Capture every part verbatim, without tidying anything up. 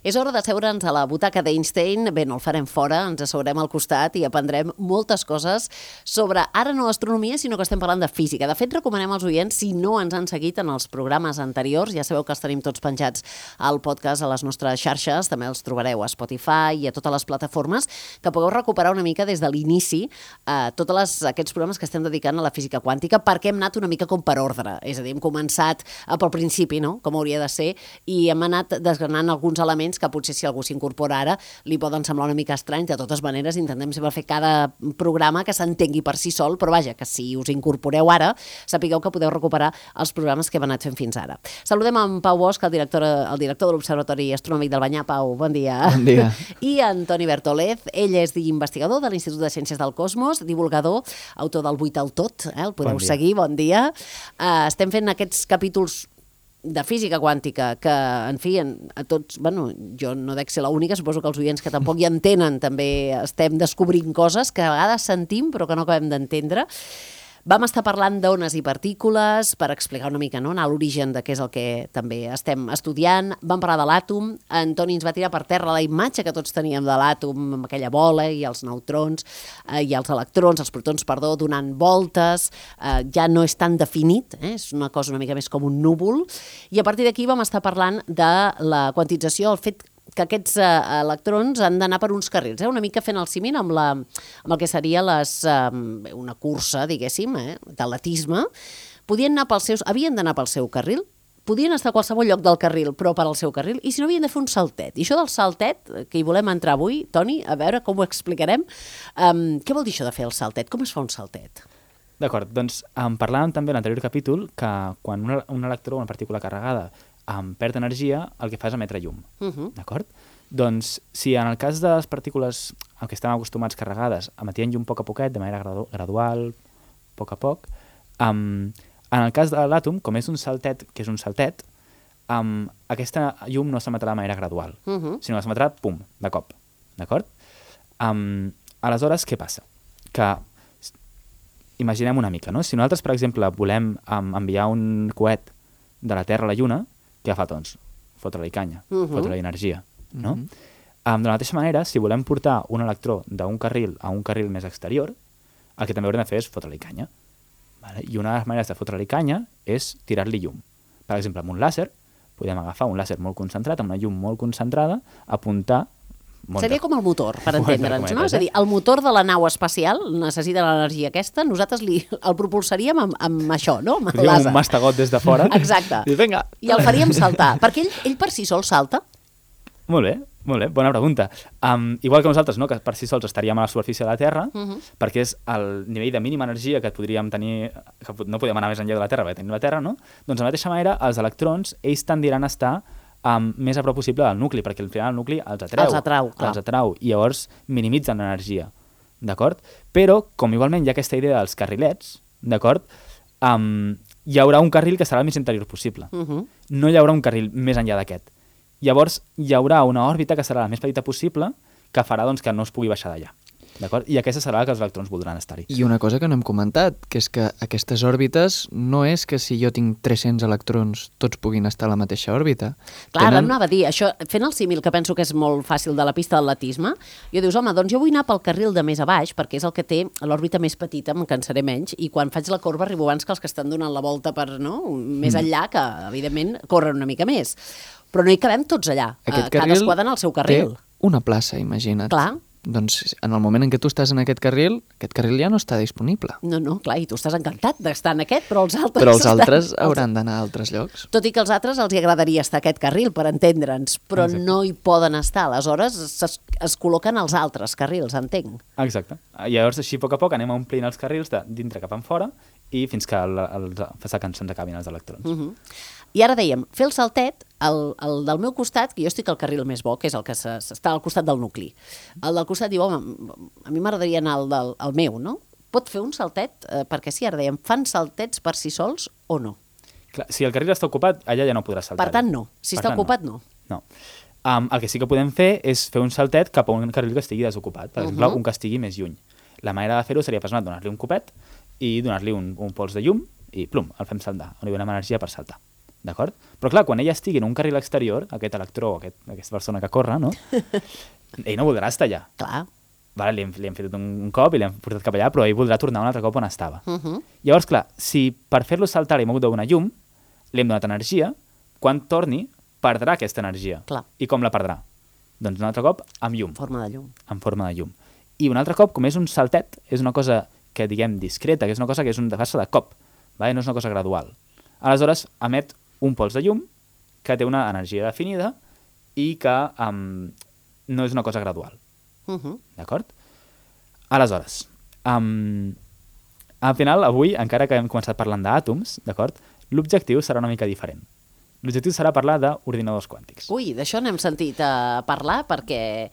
És hora d'asseure'ns a la butaca d'Einstein. Bé, no el farem fora, ens asseurem al costat i aprendrem moltes coses sobre, ara no astronomia, sinó que estem parlant de física. De fet, recomanem als oients, si no ens han seguit en els programes anteriors, ja sabeu que els tenim tots penjats al podcast, a les nostres xarxes, també els trobareu a Spotify i a totes les plataformes, que pugueu recuperar una mica des de l'inici eh, tots les, aquests programes que estem dedicant a la física quàntica, perquè hem anat una mica com per ordre, és a dir, hem començat eh, pel principi, no?, com hauria de ser, i hem anat desgranant alguns elements que potser si algú s'incorpora ara li poden semblar una mica estrany. De totes maneres, intentem sempre fer cada programa que s'entengui per si sol, però vaja, que si us incorporeu ara, sapigueu que podeu recuperar els programes que hem anat fent fins ara. Saludem en Pau Bosch, el director, el director de l'Observatori Astronòmic del Banyà. Pau, bon dia. Bon dia. I Antoni Bertolez, ell és investigador de l'Institut de Ciències del Cosmos, divulgador, autor del Vuit al Tot, eh? El podeu bon seguir, bon dia. Uh, estem fent aquests capítols de física quàntica, que, en fi, a tots, bueno, jo no dec ser l'única, suposo que els oients que tampoc hi entenen també estem descobrint coses que a vegades sentim però que no acabem d'entendre. Vam estar parlant d'ones i partícules per explicar una mica, no?, anar a l'origen de què és el que també estem estudiant. Vam parlar de l'àtom. Antoni ens va tirar per terra la imatge que tots teníem de l'àtom, amb aquella bola i els neutrons eh, i els electrons, els protons, perdó, donant voltes. Eh, ja no és tan definit, eh? És una cosa una mica més com un núvol. I a partir d'aquí vam estar parlant de la quantització, el fet que aquests eh, electrons han d'anar per uns carrils, eh? Una mica fent el símil amb, la, amb el que seria les, eh, una cursa, diguéssim, eh, d'atletisme. Podien anar pels seus, havien d'anar pel seu carril, podien estar a qualsevol lloc del carril, però per al seu carril, i si no havien de fer un saltet. I això del saltet, que hi volem entrar avui, Toni, a veure com ho explicarem, um, què vol dir això de fer el saltet? Com es fa un saltet? D'acord, doncs um, parlàvem també en l'anterior capítol que quan un, un electró, una partícula carregada, Um, perd energia, el que fa és emetre llum. Uh-huh. D'acord? Doncs, si en el cas de les partícules a què estem acostumats carregades emetien llum a poc a poquet, de manera gradu gradual, a poc a poc, um, en el cas de l'àtom, com és un saltet, que és un saltet, um, aquesta llum no s'emetrà de manera gradual, uh-huh. sinó que s'emetrà, pum, de cop. D'acord? Um, aleshores, què passa? Que imaginem una mica, no? Si nosaltres, per exemple, volem um, enviar un coet de la Terra a la Lluna, què fa, doncs? Fotre-li canya, uh-huh. fotre-li energia, no? Uh-huh. Um, de la mateixa manera, si volem portar un electró d'un carril a un carril més exterior, el que també haurem de fer és fotre-li canya. Vale? I una de les maneres de fotre-li canya és tirar-li llum. Per exemple, amb un làser, podem agafar un làser molt concentrat, amb una llum molt concentrada, apuntar... Molta. Seria com el motor, per entendre'ns, no? És a dir, el motor de la nau espacial necessita l'energia aquesta, nosaltres li, el propulsaríem amb, amb això, no? Amb el làser. Un mastegot des de fora. Exacte. I, vinga. I el faríem saltar, perquè ell, ell per si sol salta. Molt bé, molt bé, bona pregunta. Um, igual que nosaltres, no?, que per si sols estaríem a la superfície de la Terra, uh-huh. perquè és el nivell de mínima energia que podríem tenir, que no podem anar més enllà de la Terra, perquè tenim la Terra, no? Doncs de la mateixa manera, els electrons, ells tendiran a estar Um, més a prop possible del nucli, perquè al final el nucli els atreu. Els atrau, clar. Els atrau, i llavors minimitzen l'energia, d'acord? Però, com igualment hi ha aquesta idea dels carrilets, d'acord? Um, hi haurà un carril que serà el més interior possible. Uh-huh. No hi haurà un carril més enllà d'aquest. Llavors, hi haurà una òrbita que serà la més petita possible, que farà doncs, que no es pugui baixar d'allà. D'acord? I aquesta serà la que els electrons voldran estar-hi. I una cosa que no hem comentat, que és que aquestes òrbites no és que si jo tinc tres-cents electrons tots puguin estar a la mateixa òrbita. Clar, Tenen... ara anava a dir, això, fent el símil, que penso que és molt fàcil de la pista d'atletisme, jo dius, home, doncs jo vull anar pel carril de més a baix, perquè és el que té l'òrbita més petita, em cansaré menys, i quan faig la corba arribo abans que els que estan donant la volta per, no?, més mm. enllà, que evidentment corren una mica més. Però no hi cabem tots allà, Aquest eh, cadascú ha d'anar al seu carril. Té una plaça, imagina't. Clar. Doncs en el moment en què tu estàs en aquest carril, aquest carril ja no està disponible. No, no, clar, i tu estàs encantat d'estar en aquest, però els altres... Però els altres estan... hauran d'anar a altres llocs. Tot i que als altres els hi agradaria estar a aquest carril, per entendre'ns, però Exacte. No hi poden estar. Aleshores es, es col·loquen els altres carrils, entenc. Exacte. Llavors, així, a poc a poc, anem omplint els carrils de dintre cap enfora i fins que, el, el, el, que se'ns acabin els electrons. Uh-huh. I ara dèiem, fer el saltet, el, el del meu costat, que jo estic al carril més bo, que és el que està al costat del nucli. El del costat diu, home, a mi m'agradaria anar al, del, al meu, no? Pot fer un saltet? Eh, perquè sí, ara dèiem, fan saltets per si sols o no? Clar, si el carril està ocupat, allà ja no podràs saltar. Per tant, no. Si per està tant, ocupat, no. No. no. Um, el que sí que podem fer és fer un saltet cap a un carril que estigui desocupat. Per uh-huh. exemple, un que estigui més lluny. La manera de fer-ho seria, per exemple, donar-li un copet i donar-li un, un pols de llum i plum, el fem saltar. On li donem energia per saltar. d'acord? Però clar, quan ella estigui en un carril exterior, aquest electró, aquest, aquesta persona que corre, no? Ell no voldrà estar allà. Clar. Vale, li, hem, li hem fet un, un cop i l'hem portat cap allà, però ell voldrà tornar un altre cop on estava. Uh -huh. Llavors, clar, si per fer-lo saltar li hem hagut de donar llum, li hem donat energia, quan torni perdrà aquesta energia. Clar. I com la perdrà? Doncs un altre cop amb llum. Forma de llum. En forma de llum. I un altre cop, com és un saltet, és una cosa que diguem discreta, que és una cosa que és un de de cop, vale? No és una cosa gradual. Aleshores, emet un pols de llum que té una energia definida i que um, no és una cosa gradual. Uh -huh. D'acord? Aleshores, um, al final, avui, encara que hem començat parlant d'àtoms, d'acord, l'objectiu serà una mica diferent. L'objectiu serà parlar d'ordinadors quàntics. Ui, d'això n'hem sentit uh, parlar perquè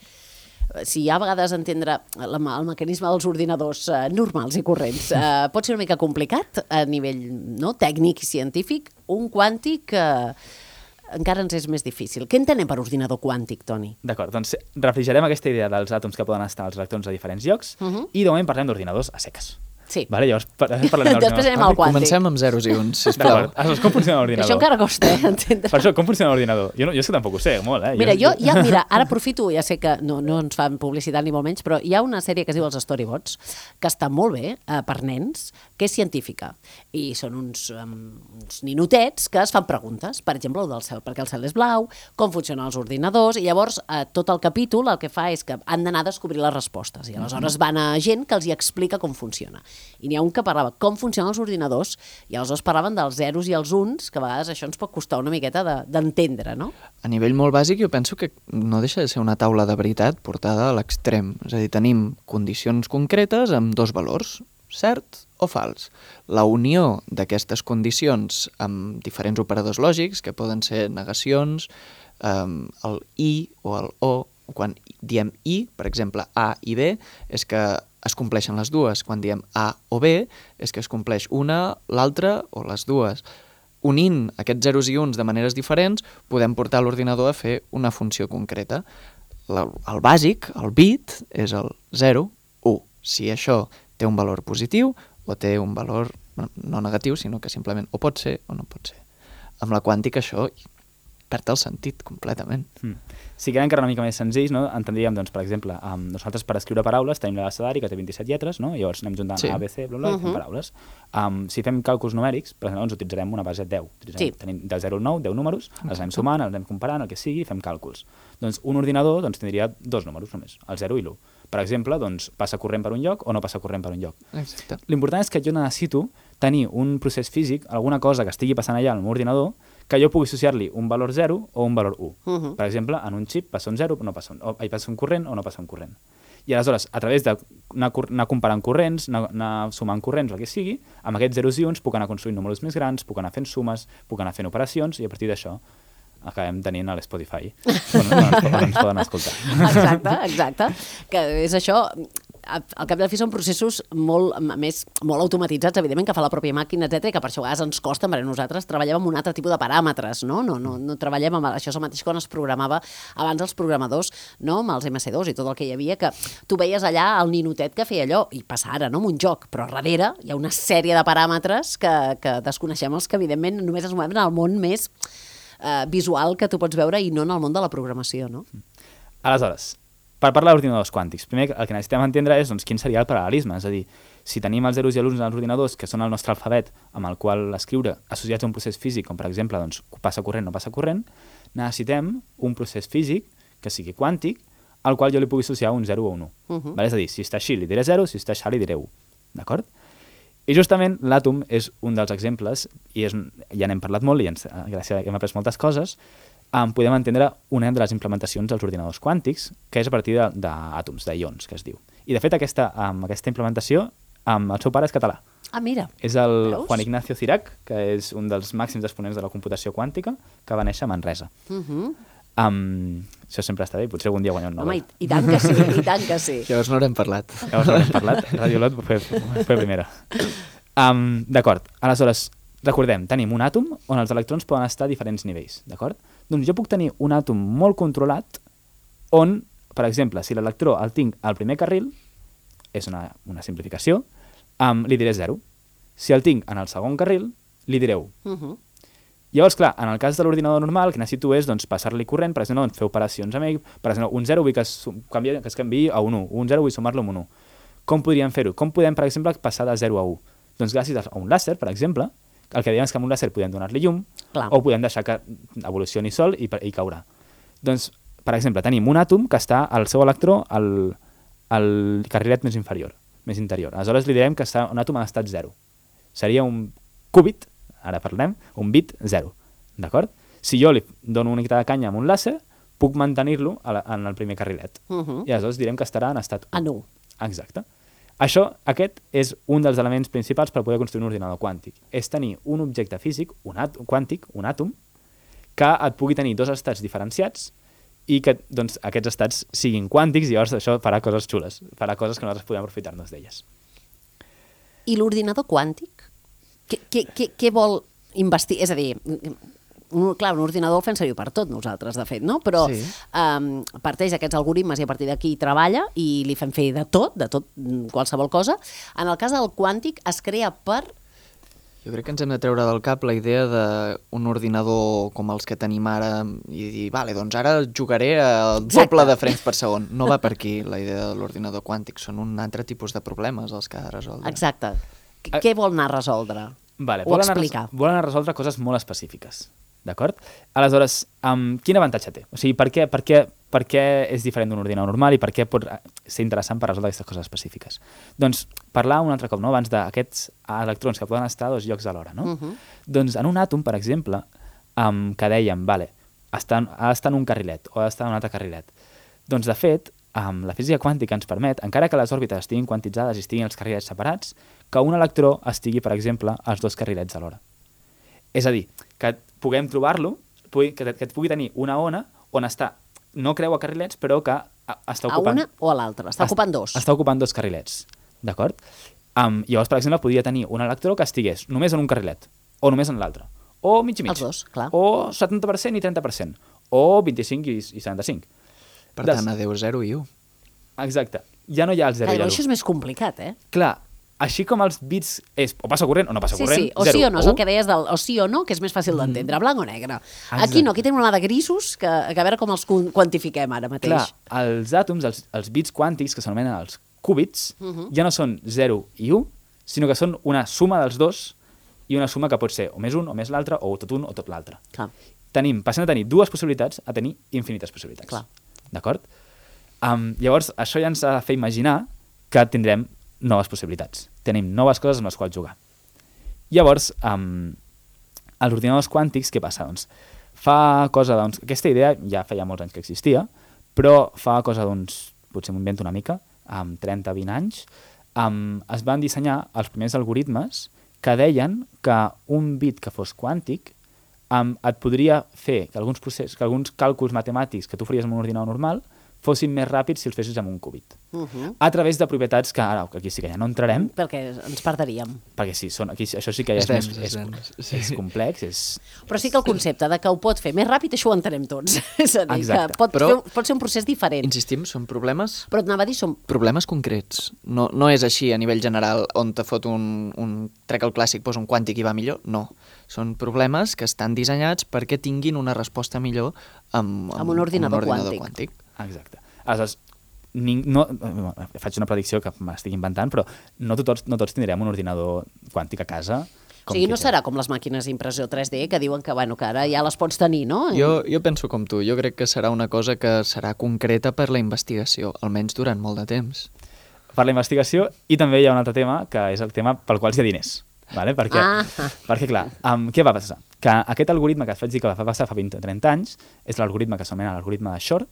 si hi ha a vegades entendre el, el mecanisme dels ordinadors uh, normals i corrents uh, pot ser una mica complicat a nivell no, tècnic i científic, un quàntic uh, encara ens és més difícil. Què entenem per ordinador quàntic, Toni? D'acord, doncs refrigerem aquesta idea dels àtoms que poden estar als electrons a diferents llocs uh -huh. i de moment parlem d'ordinadors a seques. Sí. Vale, llavors parlem d'ordinadors Després anem al quàntic. Comencem amb zeros i uns, sisplau. D'acord, aleshores, com funciona l'ordinador? Això encara costa, eh, entendre. Per això, com funciona l'ordinador? Jo, no, jo és que tampoc ho sé, molt, eh? Mira, jo, ja, mira, ara aprofito, ja sé que no, no ens fan publicitat ni molt menys, però hi ha una sèrie que es diu Els Storybots, que està molt bé eh, per nens, que és científica. I són uns, um, uns ninotets que es fan preguntes, per exemple, el del cel, perquè el cel és blau, com funcionen els ordinadors, i llavors eh, tot el capítol el que fa és que han d'anar a descobrir les respostes, i aleshores van a gent que els hi explica com funciona. I n'hi ha un que parlava com funcionen els ordinadors, i aleshores parlaven dels zeros i els uns, que a vegades això ens pot costar una miqueta d'entendre, de, no? A nivell molt bàsic, jo penso que no deixa de ser una taula de veritat portada a l'extrem. És a dir, tenim condicions concretes amb dos valors, cert o fals. La unió d'aquestes condicions amb diferents operadors lògics, que poden ser negacions, um, el i o el o, quan diem i, per exemple, a i b, és que es compleixen les dues. Quan diem a o b, és que es compleix una, l'altra o les dues. Unint aquests zeros i uns de maneres diferents, podem portar l'ordinador a fer una funció concreta. La, el bàsic, el bit, és el zero, u. Si això té un valor positiu o té un valor no negatiu, sinó que simplement o pot ser o no pot ser. Amb la quàntica això perd el sentit completament. Mm. Si queden encara una mica més senzills, no? Entendríem, doncs, per exemple, um, nosaltres per escriure paraules tenim l'abecedari que té vint-i-set lletres, no? Llavors anem juntant sí. A, B, C, bla, bla, uh -huh. i fem paraules. Um, si fem càlculs numèrics, per exemple, doncs utilitzarem una base de deu. Sí. Tenim del zero al nou, deu números, okay. els anem sumant, els anem comparant, el que sigui, i fem càlculs. Doncs un ordinador doncs, tindria dos números només, el zero i l'u. Per exemple, doncs, passa corrent per un lloc o no passa corrent per un lloc. Exacte. L'important és que jo necessito tenir un procés físic, alguna cosa que estigui passant allà al meu ordinador, que jo pugui associar-li un valor zero o un valor u. Uh -huh. Per exemple, en un xip passa un zero o no passa un, o hi passa un corrent o no passa un corrent. I aleshores, a través d'anar anar comparant corrents, anar, anar sumant corrents, el que sigui, amb aquests zeros i uns puc anar construint números més grans, puc anar fent sumes, puc anar fent operacions, i a partir d'això acabem tenint a l'Spotify, on, on, on, on ens poden escoltar. Exacte, exacte. Que és això... Al cap i a la fi són processos molt, més, molt automatitzats, evidentment, que fa la pròpia màquina, etcètera, que per això a vegades ens costa, perquè nosaltres treballem amb un altre tipus de paràmetres, no? No, no, no treballem amb... Això és el mateix quan es programava abans els programadors, no? Amb els eme esse dos i tot el que hi havia, que tu veies allà el ninotet que feia allò, i passa ara, no?, amb un joc, però darrere hi ha una sèrie de paràmetres que, que desconeixem, els que, evidentment, només ens movem en el món més eh, visual que tu pots veure i no en el món de la programació, no? Aleshores, per parlar d'ordinadors quàntics, primer el que necessitem entendre és doncs, quin seria el paral·lelisme, és a dir, si tenim els zeros i els uns als ordinadors, que són el nostre alfabet amb el qual escriure associats a un procés físic, com per exemple doncs, passa corrent o no passa corrent, necessitem un procés físic que sigui quàntic, al qual jo li pugui associar un zero o un u. Uh -huh. Vale? És a dir, si està així li diré zero, si està així li diré u. D'acord? I justament l'àtom és un dels exemples, i és, ja n'hem parlat molt, i ens, gràcies a que hem après moltes coses, Um, podem entendre una de les implementacions dels ordinadors quàntics, que és a partir d'àtoms, de, d'ions, que es diu. I, de fet, aquesta, um, aquesta implementació, um, el seu pare és català. Ah, mira. És el Veus? Juan Ignacio Cirac, que és un dels màxims exponents de la computació quàntica, que va néixer a Manresa. Uh -huh. um, això sempre està bé, i potser algun dia guanyar un Nobel. Home, i, i tant que sí, i tant que sí. Llavors no n'hem parlat. Llavors no n'hem parlat, Radio Lot fue, fue primera. Um, D'acord, aleshores, recordem, tenim un àtom on els electrons poden estar a diferents nivells, d'acord? Doncs jo puc tenir un àtom molt controlat on, per exemple, si l'electró el tinc al primer carril, és una, una simplificació, um, li diré zero. Si el tinc en el segon carril, li diré u. Uh -huh. Llavors, clar, en el cas de l'ordinador normal, el que necessito és doncs, passar-li corrent, per exemple, doncs, fer operacions amb ell, per exemple, un zero vull que es, canvi, que es canviï a un u, un zero vull sumar-lo amb un u. Com podríem fer-ho? Com podem, per exemple, passar de zero a u? Doncs gràcies a un làser, per exemple, el que dèiem és que amb un làser podem donar-li llum, clar, o podem deixar que evolucioni sol i, i caurà. Doncs, per exemple, tenim un àtom que està al seu electró al, al carrilet més inferior, més interior. Aleshores li direm que està un àtom en estat zero. Seria un qubit, ara parlem, un bit zero, d'acord? Si jo li dono una miqueta de canya amb un làser, puc mantenir-lo en el primer carrilet. Uh -huh. I aleshores direm que estarà en estat u. En u. Exacte. Això, aquest, és un dels elements principals per poder construir un ordinador quàntic. És tenir un objecte físic, un àtom, quàntic, un àtom, que et pugui tenir dos estats diferenciats i que doncs, aquests estats siguin quàntics i llavors això farà coses xules, farà coses que nosaltres podem aprofitar-nos d'elles. I l'ordinador quàntic? Què, què, què, què vol investigar? És a dir, un, clar, un ordinador el fem servir per tot nosaltres, de fet, no? Però sí. um, parteix d'aquests algoritmes i a partir d'aquí treballa i li fem fer de tot, de tot, qualsevol cosa. En el cas del quàntic es crea per... Jo crec que ens hem de treure del cap la idea d'un ordinador com els que tenim ara i dir, vale, doncs ara jugaré al doble de frames per segon. No va per aquí la idea de l'ordinador quàntic, són un altre tipus de problemes els que ha de resoldre. Exacte. Qu Què vol anar a resoldre? Vale, o explicar? Anar, vol anar a resoldre coses molt específiques, d'acord? Aleshores, um, quin avantatge té? O sigui, per què, per què, per què és diferent d'un ordinador normal i per què pot ser interessant per resoldre aquestes coses específiques? Doncs parlar un altre cop, no?, abans d'aquests electrons que poden estar a dos llocs alhora, no? Uh -huh. Doncs en un àtom, per exemple, um, que dèiem, vale, està, ha d'estar en un carrilet o ha d'estar en un altre carrilet. Doncs, de fet, um, la física quàntica ens permet, encara que les òrbites estiguin quantitzades i estiguin els carrilets separats, que un electró estigui, per exemple, als dos carrilets alhora. És a dir, que puguem trobar-lo, que, que et pugui tenir una ona on està, no creua carrilets, però que està ocupant... A una o a l'altra, està ocupant dos. Està ocupant dos carrilets, d'acord? Um, llavors, per exemple, podria tenir un electró que estigués només en un carrilet, o només en l'altre, o mig i mig. Els dos, clar. O setanta per cent i trenta per cent, o vint-i-cinc i setanta-cinc. Per Des... tant, adeu zero i u. Exacte. Ja no hi ha el zero clar, i l'u. Això és més complicat, eh? Clar, així com els bits és o passa corrent o no passa sí, corrent, sí, o zero, sí o no, o és el que deies del o sí o no, que és més fàcil mm. d'entendre, blanc o negre. Exacte. Aquí no, aquí tenim una de grisos, que, que a veure com els quantifiquem ara mateix. Clar, els àtoms, els, els bits quàntics, que s'anomenen els qúbits, uh -huh. ja no són zero i u, sinó que són una suma dels dos i una suma que pot ser o més un o més l'altre, o tot un o tot l'altre. Tenim, passem de tenir dues possibilitats a tenir infinites possibilitats. D'acord? Um, llavors, això ja ens ha de fer imaginar que tindrem noves possibilitats. Tenim noves coses amb les quals jugar. Llavors, um, els ordinadors quàntics, què passa? Doncs fa cosa d'uns... Aquesta idea ja feia molts anys que existia, però fa cosa d'uns... Potser m'ho invento una mica, amb trenta a vint anys, um, es van dissenyar els primers algoritmes que deien que un bit que fos quàntic um, et podria fer que alguns, procés, que alguns càlculs matemàtics que tu faries amb un ordinador normal fossin més ràpids si els fessis amb un qúbit. Uh -huh. A través de propietats que ara, aquí sí que ja no entrarem. Perquè ens perderíem. Perquè sí, són, aquí, això sí que ja és, és, més, és, és, és complex. És... Però sí que el concepte de que ho pot fer més ràpid, això ho entenem tots. És a dir, Exacte. que pot, Però, fer, pot ser un procés diferent. Insistim, són problemes... Però et anava a dir, són... Problemes concrets. No, no és així a nivell general, on te fot un, un trec al clàssic, posa un quàntic i va millor. No. Són problemes que estan dissenyats perquè tinguin una resposta millor amb, amb, amb un ordinador, amb un ordinador quàntic. quàntic. Exacte. Aleshores, ning, no, faig una predicció que m'estic inventant, però no tots, no tots tindrem un ordinador quàntic a casa. O sigui, no serà com les màquines d'impressió tres D que diuen que, bueno, que ara ja les pots tenir, no? Jo, jo penso com tu. Jo crec que serà una cosa que serà concreta per la investigació, almenys durant molt de temps. Per la investigació, i també hi ha un altre tema, que és el tema pel qual hi ha diners. Vale? Perquè, ah. perquè, clar, um, què va passar? Que aquest algoritme que et vaig dir que va passar fa vint o trenta anys és l'algoritme que s'anomena l'algoritme de Shor,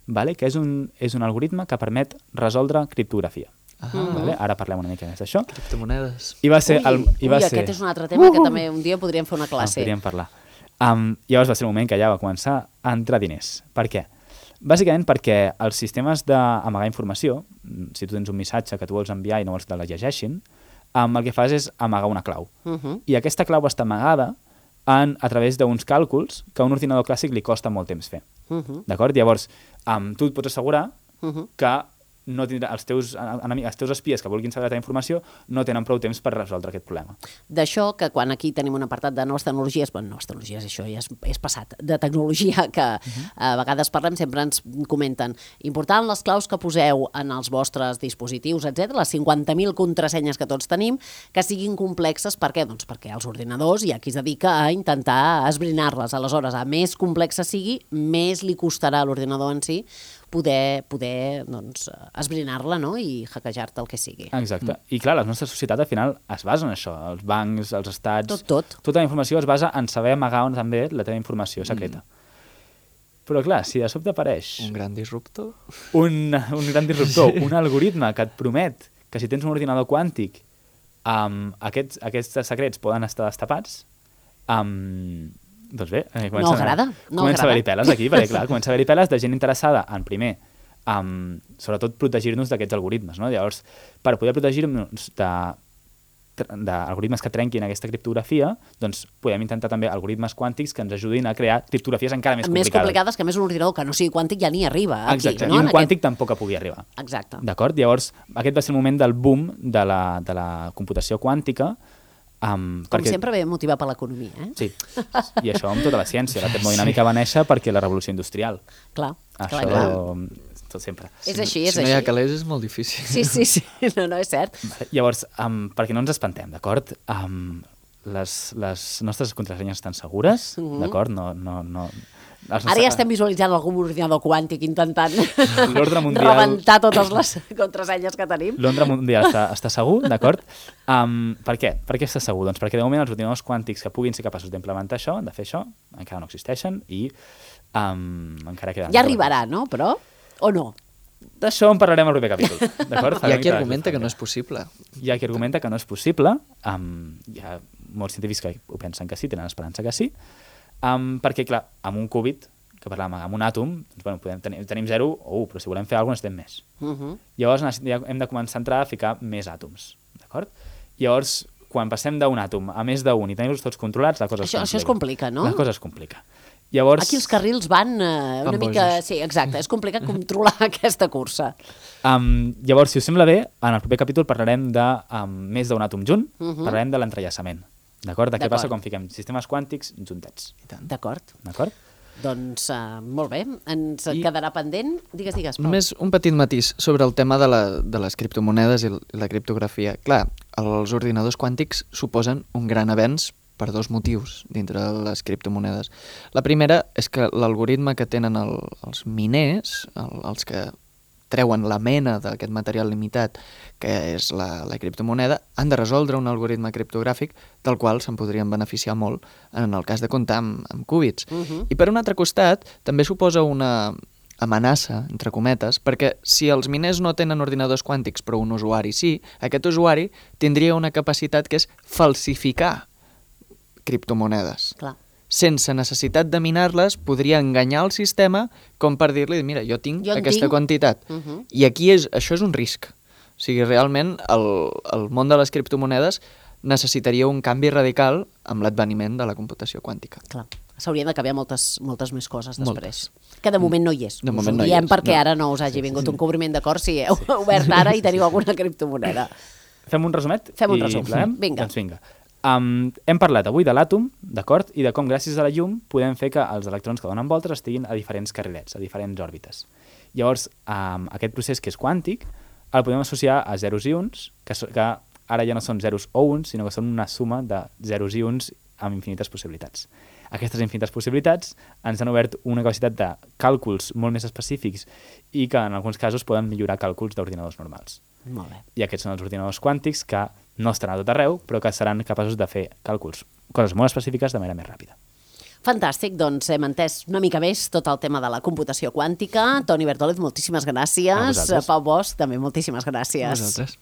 vale? Que és un, és un algoritme que permet resoldre criptografia. Ah. Vale? Ara parlem una mica més d'això. Criptomonedes. I va ser... Ui, el, i va ui ser... aquest és un altre tema uh! que també un dia podríem fer una classe. Ah, podríem parlar. Um, llavors va ser el moment que ja va començar a entrar diners. Per què? Bàsicament perquè els sistemes d'amagar informació, si tu tens un missatge que tu vols enviar i no vols que la llegeixin, um, el que fas és amagar una clau. Uh -huh. I aquesta clau està amagada en, a través d'uns càlculs que a un ordinador clàssic li costa molt temps fer. Uh -huh. D'acord? Llavors, um, tu et pots assegurar uh -huh. que no tindrà, els, teus, enemics, els teus espies que vulguin saber la teva informació no tenen prou temps per resoldre aquest problema. D'això, que quan aquí tenim un apartat de noves tecnologies, bueno, noves tecnologies, això ja és, és passat, de tecnologia que uh-huh. a vegades parlem, sempre ens comenten important les claus que poseu en els vostres dispositius, etcètera, les cinquanta mil contrasenyes que tots tenim, que siguin complexes. Per què? Doncs perquè els ordinadors hi ha qui es dedica a intentar esbrinar-les. Aleshores, a més complexa sigui, més li costarà a l'ordinador en si poder, poder doncs, esbrinar-la, no? I hackejar-te el que sigui. Exacte. I clar, la nostra societat al final es basa en això. Els bancs, els estats... Tot, tot. Tota la informació es basa en saber amagar on també la teva informació secreta. Mm. Però clar, si de sobte apareix... Un gran disruptor. Un, un gran disruptor, sí. Un algoritme que et promet que si tens un ordinador quàntic um, aquests, aquests secrets poden estar destapats, um, doncs bé, eh, comença, no agrada, no comença agrada. a haver-hi peles aquí, perquè clar, comença a haver-hi peles de gent interessada en, primer, um, sobretot protegir-nos d'aquests algoritmes, no? Llavors, per poder protegir-nos de d'algoritmes que trenquin aquesta criptografia, doncs podem intentar també algoritmes quàntics que ens ajudin a crear criptografies encara més complicades. Més complicades, que a més un ordinador que no sigui quàntic ja ni arriba aquí. Exacte, no? I un En quàntic aquest... tampoc pugui arribar. Exacte. D'acord? Llavors, aquest va ser el moment del boom de la, de la computació quàntica. Um, Com perquè... sempre ve motivat per l'economia, eh? Sí, i això amb tota la ciència. La termodinàmica va néixer perquè la revolució industrial. Clar, Això, clar, clar. Tot sempre. És així, és si no així. hi ha calés és molt difícil. Sí, sí, sí, no, no, és cert. Llavors, um, perquè no ens espantem, d'acord? Um, les, les nostres contrasenyes estan segures, mm-hmm. d'acord? No, no, no... Ara nostres... ja estem visualitzant algun ordinador quàntic intentant mundial... rebentar totes les contrasenyes que tenim. L'ordre mundial està, està segur, d'acord? Um, per què? Per què està segur? Doncs perquè de moment els ordinadors quàntics que puguin ser capaços d'implementar això, de fer això, encara no existeixen i um, encara queden... Ja arribarà, no? Però... O no? D'això en parlarem al proper capítol, d'acord? Hi ha qui argumenta que no és possible. Hi ha qui argumenta que no és possible. Um, hi ha molts científics que ho pensen que sí, tenen esperança que sí. Um, perquè, clar, amb un qubit, que parlàvem, amb un àtom, doncs, bueno, podem tenir, tenim zero o un, però si volem fer alguna cosa necessitem més. Uh-huh. Llavors ja hem de començar a entrar a ficar més àtoms, d'acord? Llavors, quan passem d'un àtom a més d'un i tenim-los tots controlats, la cosa això, es complica. Això es complica, no? La cosa es complica. Llavors... Aquí els carrils van eh, una van mica... bojos. Sí, exacte, és complicat controlar aquesta cursa. Um, llavors, si us sembla bé, en el proper capítol parlarem de um, més d'un àtom junt, uh-huh. parlarem de l'entrellaçament. D'acord? De què passa quan fiquem sistemes quàntics juntets. D'acord. D'acord? Doncs uh, molt bé, ens I... quedarà pendent. Digues, digues, Pau. Només un petit matís sobre el tema de, la, de les criptomonedes i la criptografia. Clar, els ordinadors quàntics suposen un gran avenç per dos motius dintre de les criptomonedes. La primera és que l'algoritme que tenen el, els miners, el, els que treuen la mena d'aquest material limitat, que és la, la criptomoneda, han de resoldre un algoritme criptogràfic del qual se'n podrien beneficiar molt en el cas de comptar amb, amb qúbits. Uh-huh. I per un altre costat, també suposa una amenaça, entre cometes, perquè si els miners no tenen ordinadors quàntics però un usuari sí, aquest usuari tindria una capacitat que és falsificar criptomonedes. Clar. Sense necessitat de minar-les, podria enganyar el sistema com per dir-li, mira, jo tinc jo aquesta tinc. quantitat. Uh-huh. I aquí és, això és un risc. O sigui, realment el, el món de les criptomonedes necessitaria un canvi radical amb l'adveniment de la computació quàntica. Clar. S'haurien de canviar moltes, moltes més coses després. Moltes. Que de moment no hi és. De moment us ho no hi diem és. perquè No. ara no us hagi Sí, vingut sí. un cobriment d'acord si heu sí. obert ara i teniu alguna criptomoneda. Fem un resumet? Fem un i resum. Parlem? Vinga. Doncs vinga. Um, hem parlat avui de l'àtom, d'acord? I de com gràcies a la llum podem fer que els electrons que donen voltes estiguin a diferents carrilets, a diferents òrbites. Llavors, um, aquest procés que és quàntic el podem associar a zeros i uns, que, so, que ara ja no són zeros o uns, sinó que són una suma de zeros i uns amb infinites possibilitats. Aquestes infinites possibilitats ens han obert una capacitat de càlculs molt més específics i que en alguns casos poden millorar càlculs d'ordinadors normals. Molt bé. I aquests són els ordinadors quàntics que no estaran a tot arreu, però que seran capaços de fer càlculs, coses molt específiques de manera més ràpida. Fantàstic, doncs hem entès una mica més tot el tema de la computació quàntica. Toni Bertòlez, moltíssimes gràcies. Pau Bosch, també moltíssimes gràcies. A vosaltres.